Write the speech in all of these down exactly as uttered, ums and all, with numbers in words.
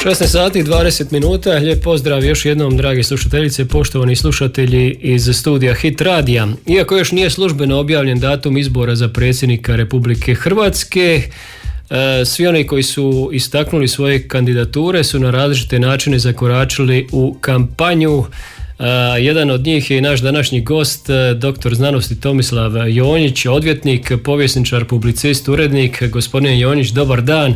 šesnaest sati i dvadeset minuta, lijep pozdrav još jednom dragi slušateljice, poštovani slušatelji iz studija Hit Radija. Iako još nije službeno objavljen datum izbora za predsjednika Republike Hrvatske, svi oni koji su istaknuli svoje kandidature su na različite načine zakoračili u kampanju. Jedan od njih je i naš današnji gost, doktor znanosti Tomislav Jonjić, odvjetnik, povjesničar, publicist, urednik. Gospodine Jonjić, dobar dan,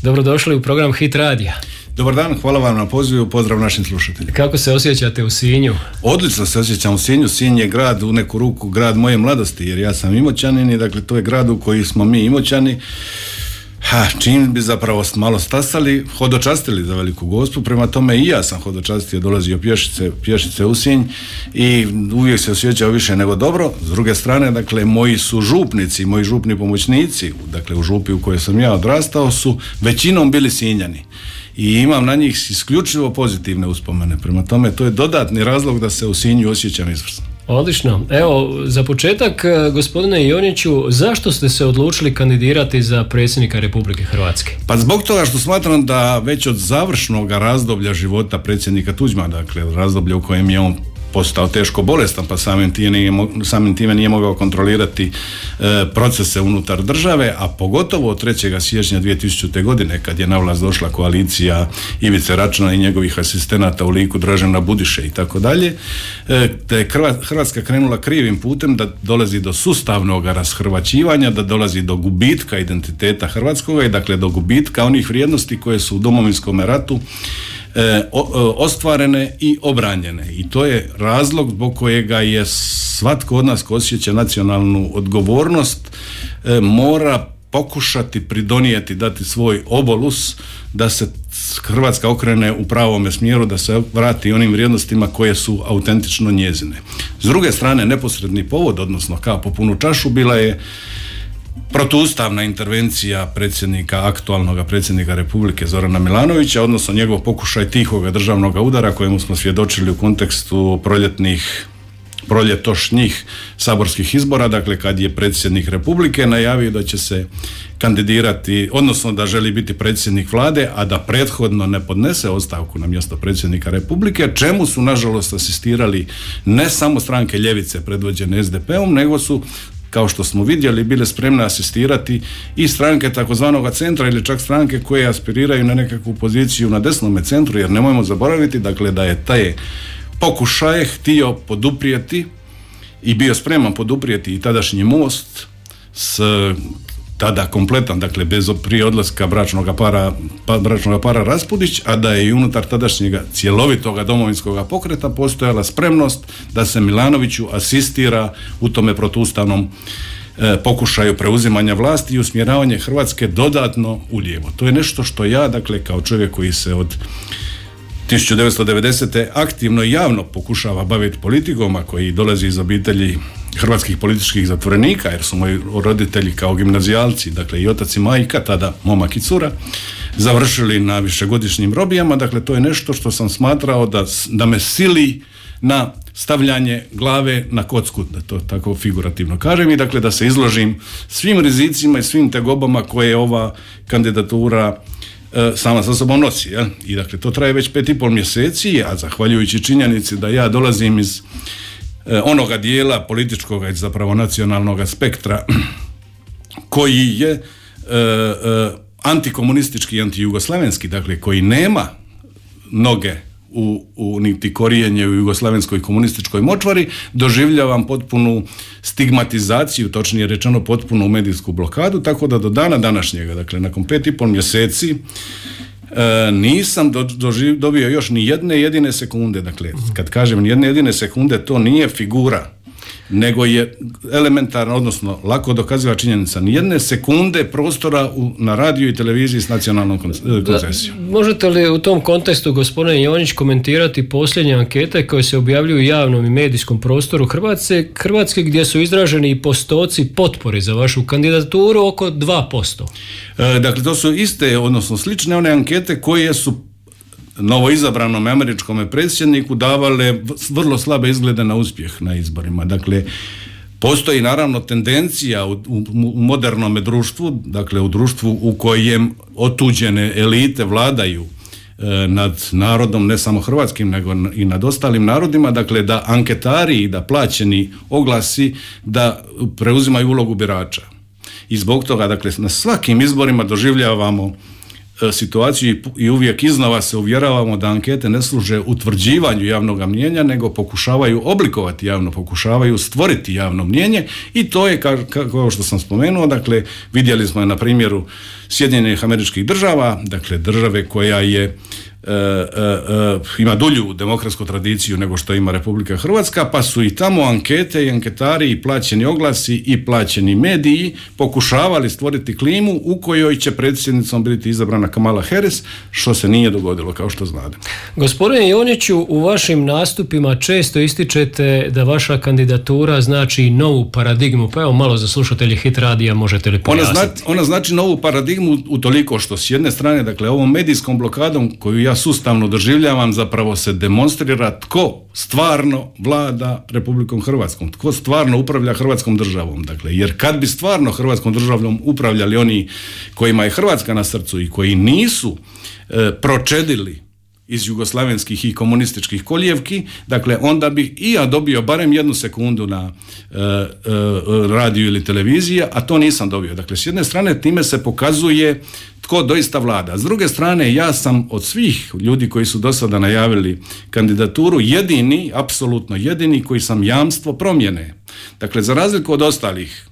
dobrodošli u program Hit Radija. Dobar dan, hvala vam na pozivu, pozdrav našim slušateljima. Kako se osjećate u Sinju? Odlično se osjećam u Sinju. Sinj je grad, u neku ruku grad moje mladosti, jer ja sam Imoćanin i dakle to je grad u koji smo mi Imoćani. Ha, čim bi zapravo malo stasali, hodočastili za Veliku Gospu, prema tome i ja sam hodočastio, dolazio pješice, pješice u Sinj i uvijek se osjećao više nego dobro. S druge strane, dakle, moji su župnici, moji župni pomoćnici, dakle u župi u kojoj sam ja odrastao, su većinom bili Sinjani. I imam na njih isključivo pozitivne uspomene. Prema tome, to je dodatni razlog da se u Sinju osjećam izvrsno. Odlično. Evo, za početak, gospodine Jonjiću, zašto ste se odlučili kandidirati za predsjednika Republike Hrvatske? Pa zbog toga što smatram da već od završnog razdoblja života predsjednika Tuđmana, dakle razdoblja u kojem je on postao teško bolestan, pa samim time nije, samim time nije mogao kontrolirati e, procese unutar države, a pogotovo od trećeg siječnja dvije tisućite. godine, kad je na vlast došla koalicija Ivice Račana i njegovih asistenata u liku Dražena Budiše i tako dalje, te je Hrvatska krenula krivim putem, da dolazi do sustavnog rashrvaćivanja, da dolazi do gubitka identiteta hrvatskoga i dakle do gubitka onih vrijednosti koje su u Domovinskom ratu E, o, ostvarene i obranjene. I to je razlog zbog kojega je svatko od nas ko osjeća nacionalnu odgovornost e, mora pokušati pridonijeti, dati svoj obolus da se Hrvatska okrene u pravome smjeru, da se vrati onim vrijednostima koje su autentično njezine. S druge strane, neposredni povod, odnosno kap po punu čašu, bila je protuustavna intervencija predsjednika, aktualnog predsjednika Republike Zorana Milanovića, odnosno njegov pokušaj tihoga državnog udara kojemu smo svjedočili u kontekstu proljetnih, proljetošnjih saborskih izbora, dakle kad je predsjednik Republike najavio da će se kandidirati, odnosno da želi biti predsjednik vlade, a da prethodno ne podnese ostavku na mjesto predsjednika Republike, čemu su nažalost asistirali ne samo stranke ljevice predvođene es de pe-om, nego su, kao što smo vidjeli, bile spremne asistirati i stranke takozvanog centra ili čak stranke koje aspiriraju na nekakvu poziciju na desnome centru, jer nemojmo zaboraviti dakle da je taj pokušaj htio poduprijeti i bio spreman poduprijeti i tadašnji Most s tada kompletan, dakle bez prije odlaska bračnog para, pa, bračnog para Raspudić, a da je i unutar tadašnjega cjelovitoga domovinskog pokreta postojala spremnost da se Milanoviću asistira u tome protuustavnom e, pokušaju preuzimanja vlasti i usmjeravanje Hrvatske dodatno ulijevo. To je nešto što ja, dakle, kao čovjek koji se od tisuću devetsto devedesete. aktivno i javno pokušava baviti politikom, a koji dolazi iz obitelji hrvatskih političkih zatvorenika, jer su moji roditelji kao gimnazijalci, dakle i otac i majka, tada momak i cura, završili na višegodišnjim robijama. Dakle, to je nešto što sam smatrao da, da me sili na stavljanje glave na kocku, da to tako figurativno kažem, i dakle da se izložim svim rizicima i svim tegobama koje ova kandidatura sama sa sobom nosi. Ja? I dakle to traje već pet i pol mjeseci, a zahvaljujući činjenici da ja dolazim iz eh, onoga dijela političkog i zapravo nacionalnog spektra koji je eh, eh, antikomunistički i antijugoslavenski, dakle koji nema noge u, u niti korijenje u jugoslavenskoj komunističkoj močvari, doživljavam potpunu stigmatizaciju, točnije rečeno potpunu medijsku blokadu, tako da do dana današnjega, dakle nakon pet i pol mjeseci, e, nisam do, doživ, dobio još ni jedne jedine sekunde. Dakle, kad kažem ni jedne jedine sekunde, to nije figura, nego je elementarna, odnosno lako dokaziva činjenica, ni jedne sekunde prostora u, na radiju i televiziji s nacionalnom koncesijom. Možete li u tom kontekstu, gospodine Jonjić, komentirati posljednje ankete koje se objavljuju u javnom i medijskom prostoru Hrvatske, Hrvatske gdje su izraženi i postoci potpore za vašu kandidaturu oko dva posto? E, dakle, to su iste, odnosno slične one ankete koje su novoizabranom američkom predsjedniku davale vrlo slabe izglede na uspjeh na izborima. Dakle, postoji naravno tendencija u, u, u modernome društvu, dakle u društvu u kojem otuđene elite vladaju nad narodom, ne samo hrvatskim, nego i nad ostalim narodima, dakle da anketari i da plaćeni oglasi da preuzimaju ulogu birača. I zbog toga, dakle, na svakim izborima doživljavamo situaciju i uvijek iznova se uvjeravamo da ankete ne služe utvrđivanju javnog mnijenja, nego pokušavaju oblikovati javno, pokušavaju stvoriti javno mnijenje i to je, kao što sam spomenuo, dakle, vidjeli smo je na primjeru Sjedinjenih Američkih Država, dakle, države koja je E, e, e, ima dulju demokratsku tradiciju nego što ima Republika Hrvatska, pa su i tamo ankete i anketari i plaćeni oglasi i plaćeni mediji pokušavali stvoriti klimu u kojoj će predsjednicom biti izabrana Kamala Harris, što se nije dogodilo, kao što znate. Gospodine Jonjiću, u vašim nastupima često ističete da vaša kandidatura znači novu paradigmu, pa evo malo za slušatelje Hit radija možete li pojasniti? Ona, zna, ona znači novu paradigmu utoliko što s jedne strane, dakle, ovom medijskom blokadom koju ja sustavno doživljavam, zapravo se demonstrira tko stvarno vlada Republikom Hrvatskom, tko stvarno upravlja Hrvatskom državom. Dakle, jer kad bi stvarno Hrvatskom državom upravljali oni kojima je Hrvatska na srcu i koji nisu e, pročedili iz jugoslavenskih i komunističkih kolijevki, dakle onda bih i ja dobio barem jednu sekundu na e, e, radiju ili televiziji, a to nisam dobio. Dakle, s jedne strane time se pokazuje tko doista vlada. S druge strane, ja sam od svih ljudi koji su do sada najavili kandidaturu jedini, apsolutno jedini koji sam jamstvo promjene. Dakle, za razliku od ostalih,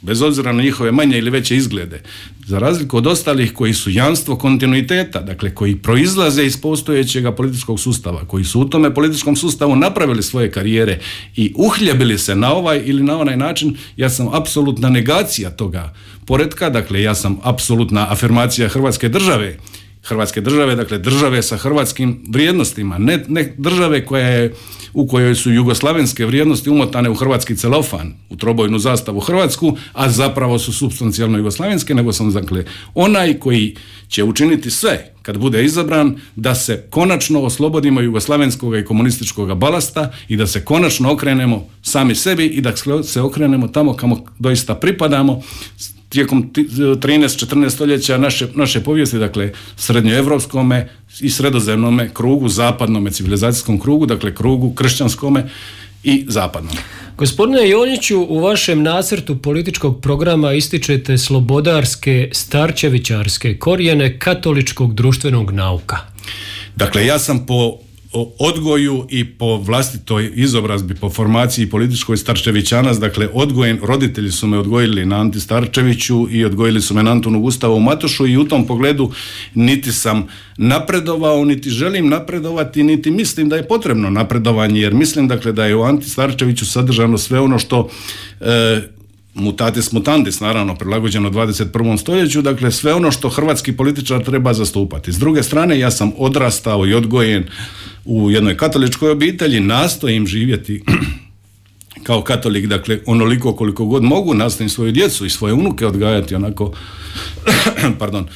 bez obzira na njihove manje ili veće izglede, za razliku od ostalih koji su jamstvo kontinuiteta, dakle koji proizlaze iz postojećeg političkog sustava, koji su u tome političkom sustavu napravili svoje karijere i uhljebili se na ovaj ili na onaj način, ja sam apsolutna negacija toga poretka, dakle ja sam apsolutna afirmacija Hrvatske države, Hrvatske države, dakle države sa hrvatskim vrijednostima, ne, ne države koja je, u kojoj su jugoslavenske vrijednosti umotane u hrvatski celofan, u trobojnu zastavu Hrvatsku, a zapravo su supstancijalno jugoslavenske, nego sam, dakle, onaj koji će učiniti sve kad bude izabran da se konačno oslobodimo jugoslavenskog i komunističkog balasta i da se konačno okrenemo sami sebi i da se okrenemo tamo kamo doista pripadamo, tijekom trinaest četrnaest stoljeća naše, naše povijesti, dakle srednjoevropskome i sredozemnome krugu, zapadnome civilizacijskom krugu, dakle krugu kršćanskome i zapadnom. Gospodine Jonjiću, u vašem nacrtu političkog programa ističete slobodarske, starčevićarske korijene katoličkog društvenog nauka. Dakle, ja sam po odgoju i po vlastitoj izobrazbi, po formaciji političkoj starčevićanac, dakle odgojen, roditelji su me odgojili na Anti Starčeviću i odgojili su me na Antunu Gustavu Matošu i u tom pogledu niti sam napredovao, niti želim napredovati, niti mislim da je potrebno napredovanje, jer mislim, dakle, da je u Anti Starčeviću sadržano sve ono što e, mutatis mutandis, naravno, prilagođeno dvadeset prvom stoljeću, dakle sve ono što hrvatski političar treba zastupati. S druge strane, ja sam odrastao i odgojen u jednoj katoličkoj obitelji, nastojim živjeti kao katolik, dakle onoliko koliko god mogu, nastojim svoju djecu i svoje unuke odgajati onako pardon,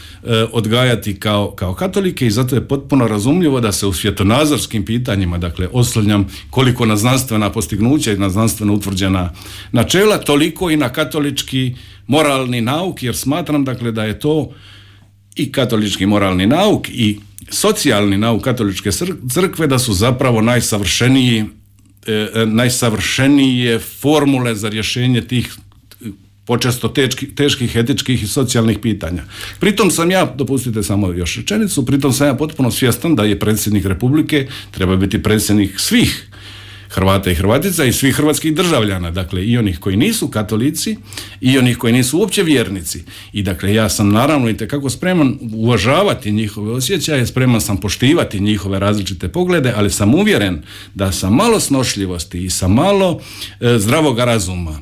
odgajati kao, kao katolike i zato je potpuno razumljivo da se u svjetonazorskim pitanjima, dakle oslanjam koliko na znanstvena postignuća i na znanstveno utvrđena načela, toliko i na katolički moralni nauk, jer smatram, dakle, da je to i katolički moralni nauk i socijalni nauk katoličke crkve, da su zapravo najsavršeniji E, najsavršenije formule za rješenje tih počesto teški, teških etičkih i socijalnih pitanja. Pritom sam ja, dopustite samo još rečenicu, pritom sam ja potpuno svjestan da je predsjednik Republike treba biti predsjednik svih Hrvata i Hrvatica i svih hrvatskih državljana, dakle i onih koji nisu katolici i onih koji nisu uopće vjernici. I dakle ja sam naravno itekako spreman uvažavati njihove osjećaje, spreman sam poštivati njihove različite poglede, ali sam uvjeren da sa malo snošljivosti i sa malo e, zdravog razuma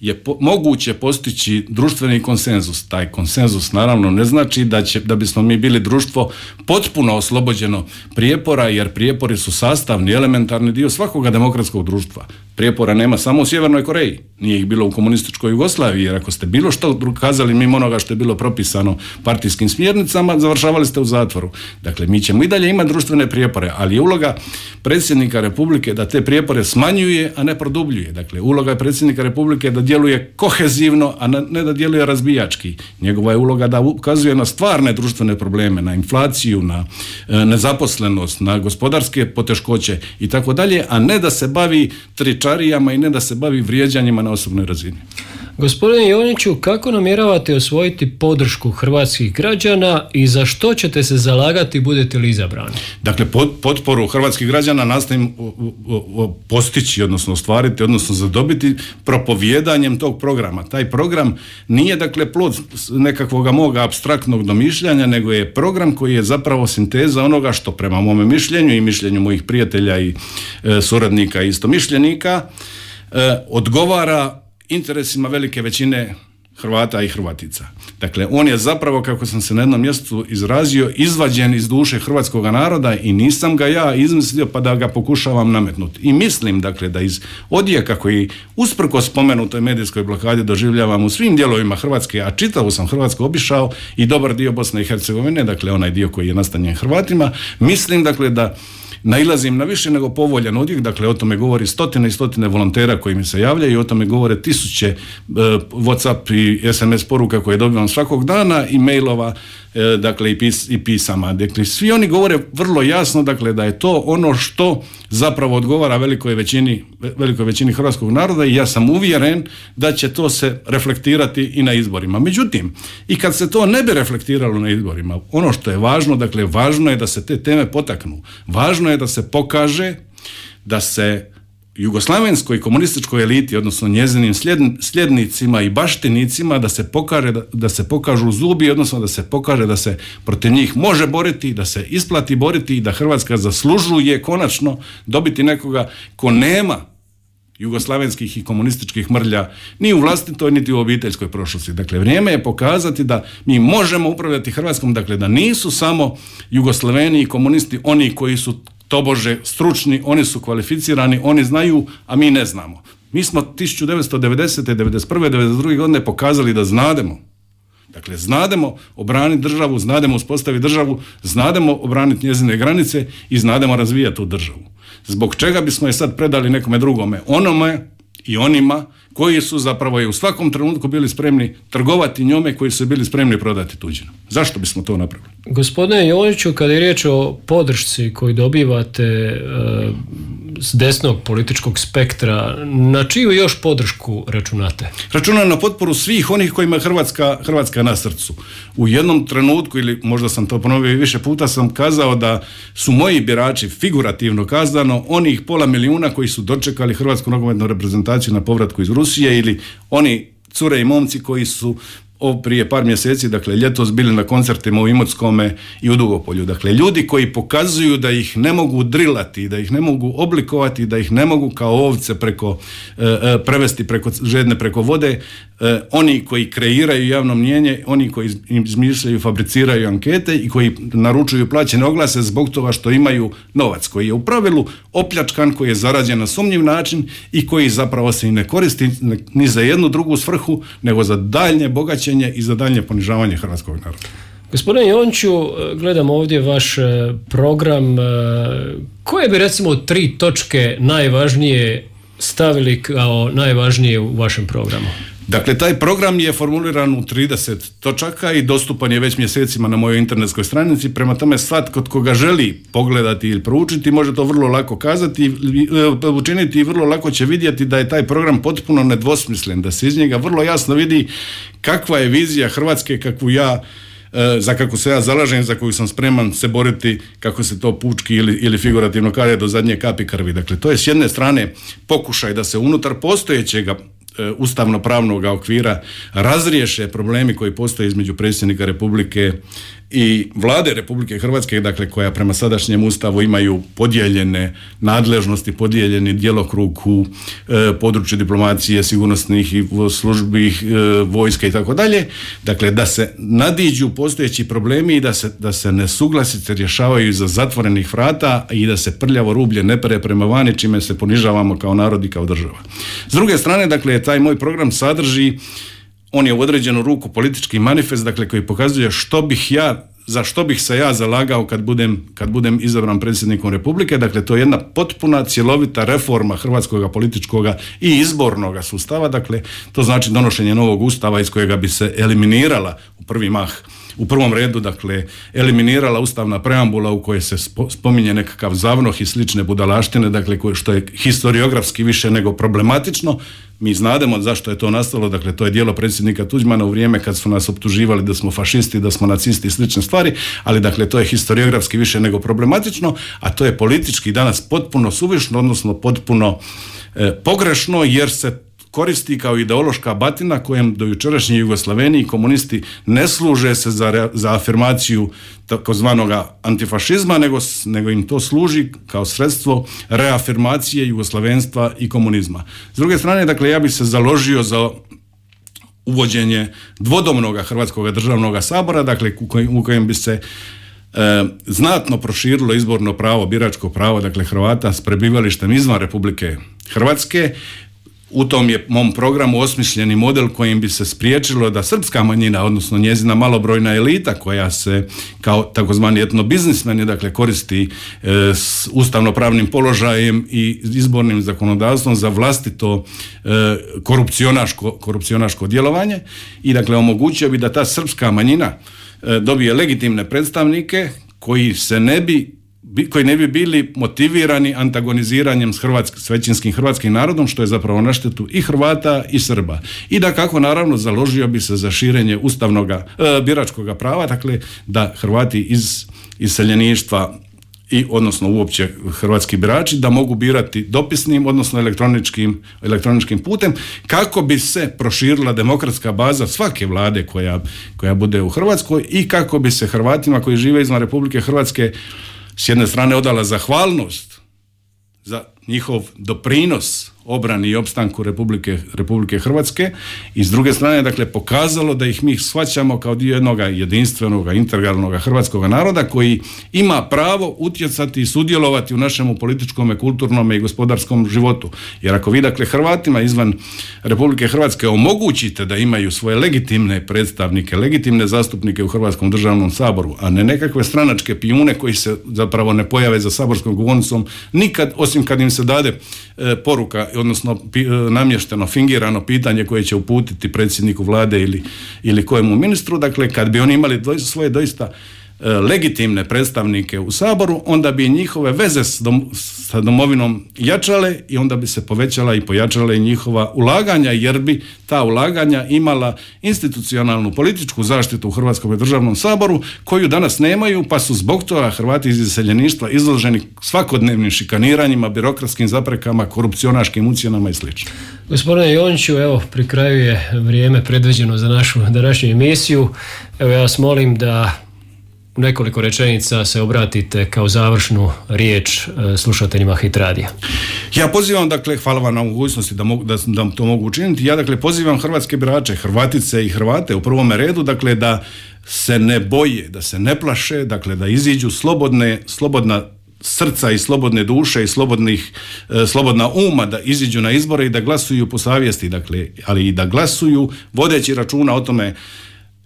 je po, moguće postići društveni konsenzus. Taj konsenzus naravno ne znači da, će, da bismo mi bili društvo potpuno oslobođeno prijepora, jer prijepori su sastavni, elementarni dio svakoga demokratskog društva. Prijepora nema samo u Sjevernoj Koreji, nije ih bilo u komunističkoj Jugoslaviji, jer ako ste bilo što kazali mimo onoga što je bilo propisano partijskim smjernicama, završavali ste u zatvoru. Dakle, mi ćemo i dalje imati društvene prijepore, ali je uloga predsjednika Republike da te prijepore smanjuje, a ne produbljuje. Dakle, uloga je predsjednika Republike da djeluje kohezivno, a ne da djeluje razbijački. Njegova je uloga da ukazuje na stvarne društvene probleme, na inflaciju, na e, nezaposlenost, na gospodarske poteškoće i tako dalje, a ne da se bavi tričarijama i ne da se bavi vrijeđanjima na osobnoj razini. Gospodine Joniću, kako namjeravate osvojiti podršku hrvatskih građana i za što ćete se zalagati budete li izabrani? Dakle, pod, potporu hrvatskih građana nastojim postići, odnosno ostvariti, odnosno zadobiti propovijedanjem tog programa. Taj program nije, dakle, plod nekakvog moga apstraktnog domišljanja, nego je program koji je zapravo sinteza onoga što prema mome mišljenju i mišljenju mojih prijatelja i e, suradnika i istomišljenika e, odgovara interesima velike većine Hrvata i Hrvatica. Dakle, on je zapravo, kako sam se na jednom mjestu izrazio, izvađen iz duše hrvatskog naroda i nisam ga ja izmislio pa da ga pokušavam nametnuti. I mislim, dakle, da iz odjeka koji usprkos spomenutoj medijskoj blokadi doživljavam u svim dijelovima Hrvatske, a čitavu sam Hrvatsku obišao i dobar dio Bosne i Hercegovine, dakle onaj dio koji je nastanjen Hrvatima, mislim, dakle, da nailazim na više nego povoljan odjek, dakle o tome govori stotine i stotine volontera koji mi se javljaju i o tome govore tisuće e, WhatsApp i es em es poruka koje dobivam svakog dana i mailova, e, dakle i, pis, i pisama. Dakle, svi oni govore vrlo jasno, dakle, da je to ono što zapravo odgovara velikoj većini, velikoj većini hrvatskog naroda i ja sam uvjeren da će to se reflektirati i na izborima. Međutim, i kad se to ne bi reflektiralo na izborima, ono što je važno, dakle, važno je da se te teme potaknu. Važno je da se pokaže da se jugoslavenskoj komunističkoj eliti, odnosno njezinim sljednicima i baštinicima, da se pokaže, da, da se pokažu zubi, odnosno da se pokaže da se protiv njih može boriti, da se isplati boriti i da Hrvatska zaslužuje konačno dobiti nekoga ko nema jugoslavenskih i komunističkih mrlja ni u vlastitoj niti u obiteljskoj prošlosti. Dakle, vrijeme je pokazati da mi možemo upravljati Hrvatskom, dakle da nisu samo Jugoslaveni i komunisti oni koji su tobože stručni, oni su kvalificirani, oni znaju, a mi ne znamo. Mi smo tisuću devetsto devedesete, devedeset prve, devedeset druge godine pokazali da znademo. Dakle, znademo obraniti državu, znademo uspostaviti državu, znademo obraniti njezine granice i znademo razvijati tu državu. Zbog čega bismo je sad predali nekome drugome? Onome i onima koji su zapravo i u svakom trenutku bili spremni trgovati njome, koji su bili spremni prodati tuđinu. Zašto bismo to napravili? Gospodine Joniću, kada je riječ o podršci koju dobivate e, s desnog političkog spektra, na čiju još podršku računate? Računam na potporu svih onih kojima je Hrvatska, Hrvatska na srcu. U jednom trenutku, ili možda sam to ponovio i više puta, sam kazao da su moji birači, figurativno kazano, onih pola milijuna koji su dočekali Hrvatsku nogometnu reprezentaciju na povratku iz Rusije, ili oni cure i momci koji su o, prije par mjeseci, dakle ljetos, bili na koncertima u Imotskome i u Dugopolju. Dakle, ljudi koji pokazuju da ih ne mogu drilati, da ih ne mogu oblikovati, da ih ne mogu kao ovce preko, e, e, prevesti preko žedne preko vode, e, oni koji kreiraju javno mnijenje, oni koji izmišljaju, fabriciraju ankete i koji naručuju plaćene oglase zbog toga što imaju novac koji je u pravilu opljačkan, koji je zarađen na sumnjiv način i koji zapravo se i ne koristi ni za jednu drugu svrhu, nego za daljnje bogaćenje i za daljnje ponižavanje hrvatskog naroda. Gospodine Jončiću, gledam ovdje vaš program. Koje bi recimo tri točke najvažnije stavili kao najvažnije u vašem programu? Dakle, taj program je formuliran u trideset točaka i dostupan je već mjesecima na mojoj internetskoj stranici, prema tome svatko tko ga želi pogledati ili proučiti može to vrlo lako kazati, učiniti i vrlo lako će vidjeti da je taj program potpuno nedvosmislen, da se iz njega vrlo jasno vidi kakva je vizija Hrvatske, kakvu ja za kako se ja zalažem, za koju sam spreman se boriti, kako se to pučki ili, ili figurativno kaže, do zadnje kapi krvi. Dakle, to je s jedne strane pokušaj da se unutar postojećega ustavno-pravnog okvira razriješe problemi koji postoje između predsjednika Republike i vlade Republike Hrvatske, dakle koja prema sadašnjem ustavu imaju podijeljene nadležnosti, podijeljeni djelokrug u e, području diplomacije, sigurnosnih i službi, e, vojske i tako dalje, dakle da se nadiđu postojeći problemi i da se, da se nesuglasice rješavaju iza zatvorenih vrata i da se prljavo rublje ne pere prema vani, čime se ponižavamo kao narod i kao država. S druge strane, dakle, taj moj program sadrži, on je u određenu ruku politički manifest, dakle, koji pokazuje što bih ja, za što bih se ja zalagao kad budem, kad budem izabran predsjednikom Republike. Dakle, to je jedna potpuna, cjelovita reforma hrvatskog političkog i izbornog sustava. Dakle, to znači donošenje novog ustava iz kojega bi se eliminirala u prvi mah, u prvom redu, dakle, eliminirala ustavna preambula u kojoj se spominje nekakav zavnoh i slične budalaštine, dakle, koje, što je historiografski više nego problematično. Mi znademo zašto je to nastalo, dakle, to je djelo predsjednika Tuđmana u vrijeme kad su nas optuživali da smo fašisti, da smo nacisti i slične stvari, ali dakle, to je historiografski više nego problematično, a to je politički danas potpuno suvišno, odnosno potpuno e, pogrešno, jer se koristi kao ideološka batina kojem do jučerašnji Jugoslaveni i komunisti ne služe se za, za afirmaciju takozvanog antifašizma, nego, nego im to služi kao sredstvo reafirmacije jugoslavenstva i komunizma. S druge strane, dakle, ja bih se založio za uvođenje dvodomnog Hrvatskog državnog sabora, dakle, u kojem, u kojem bi se E, znatno proširilo izborno pravo, biračko pravo, dakle, Hrvata s prebivalištem izvan Republike Hrvatske. U tom je mom programu osmišljeni model kojim bi se spriječilo da srpska manjina, odnosno njezina malobrojna elita koja se kao takozvani etnobiznismeni, dakle, koristi e, s ustavnopravnim položajem i izbornim zakonodavstvom za vlastito e, korupcionaško, korupcionaško djelovanje i, dakle, omogućio bi da ta srpska manjina e, dobije legitimne predstavnike koji se ne bi koji ne bi bili motivirani antagoniziranjem s, hrvatsk, s većinskim hrvatskim narodom, što je zapravo na štetu i Hrvata i Srba. I da kako naravno založio bi se za širenje ustavnoga, e, biračkoga prava, dakle da Hrvati iz iseljeništva i odnosno uopće hrvatski birači da mogu birati dopisnim, odnosno elektroničkim, elektroničkim putem, kako bi se proširila demokratska baza svake vlade koja, koja bude u Hrvatskoj i kako bi se Hrvatima koji žive izvan Republike Hrvatske s jedne strane odala zahvalnost za njihov doprinos obrani i opstanku Republike, Republike Hrvatske i s druge strane, dakle, pokazalo da ih mi shvaćamo kao dio jednog jedinstvenog, integralnog hrvatskog naroda koji ima pravo utjecati i sudjelovati u našem političkom, kulturnom i gospodarskom životu. Jer ako vi, dakle, Hrvatima izvan Republike Hrvatske omogućite da imaju svoje legitimne predstavnike, legitimne zastupnike u Hrvatskom državnom saboru, a ne nekakve stranačke pijune koji se zapravo ne pojave za saborskom govornicom nikad, osim kad im se dade e, poruka, odnosno pi, namješteno, fingirano pitanje koje će uputiti predsjedniku vlade ili, ili kojemu ministru, dakle, kad bi oni imali doj, svoje doista e, legitimne predstavnike u Saboru, onda bi njihove veze s dom, sa domovinom jačale i onda bi se povećala i pojačala i njihova ulaganja, jer bi ta ulaganja imala institucionalnu političku zaštitu u Hrvatskom državnom saboru, koju danas nemaju, pa su zbog toga Hrvati iz iseljeništva izloženi svakodnevnim šikaniranjima, birokratskim zaprekama, korupcionaškim ucjenama i sl. Gospodine Jončiću, evo, pri kraju je vrijeme predviđeno za našu današnju emisiju. Evo, ja vas molim da u nekoliko rečenica se obratite kao završnu riječ slušateljima Hit radija. Ja pozivam, dakle, hvala vam na mogućnosti da, mogu, da, da to mogu učiniti, ja, dakle, pozivam hrvatske birače, Hrvatice i Hrvate u prvome redu, dakle, da se ne boje, da se ne plaše, dakle, da iziđu slobodne, slobodna srca i slobodne duše i slobodnih, e, slobodna uma, da iziđu na izbore i da glasuju po savjesti, dakle, ali i da glasuju vodeći računa o tome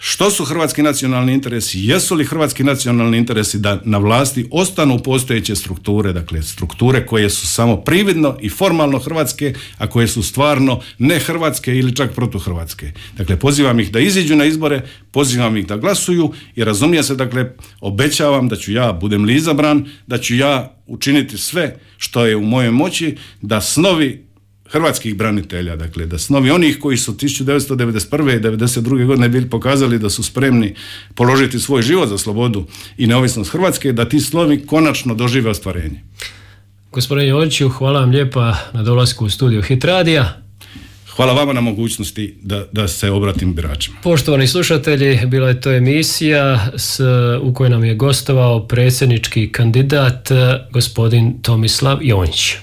što su hrvatski nacionalni interesi, jesu li hrvatski nacionalni interesi da na vlasti ostanu postojeće strukture, dakle strukture koje su samo prividno i formalno hrvatske, a koje su stvarno ne hrvatske ili čak protuhrvatske. Dakle, pozivam ih da iziđu na izbore, pozivam ih da glasuju i razumije se, dakle, obećavam da ću ja, budem li izabran, da ću ja učiniti sve što je u mojoj moći da snovi hrvatskih branitelja, dakle, da snovi onih koji su tisuću devetsto devedeset prve i devedeset druge godine bili pokazali da su spremni položiti svoj život za slobodu i neovisnost Hrvatske, da ti slovi konačno dožive ostvarenje. Gospodine Jončiću, hvala vam lijepa na dolasku u studiju Hit radija. hvala vama na mogućnosti da, da se obratim biračima. Poštovani slušatelji, bila je to emisija s, u kojoj nam je gostovao predsjednički kandidat gospodin Tomislav Jonjić.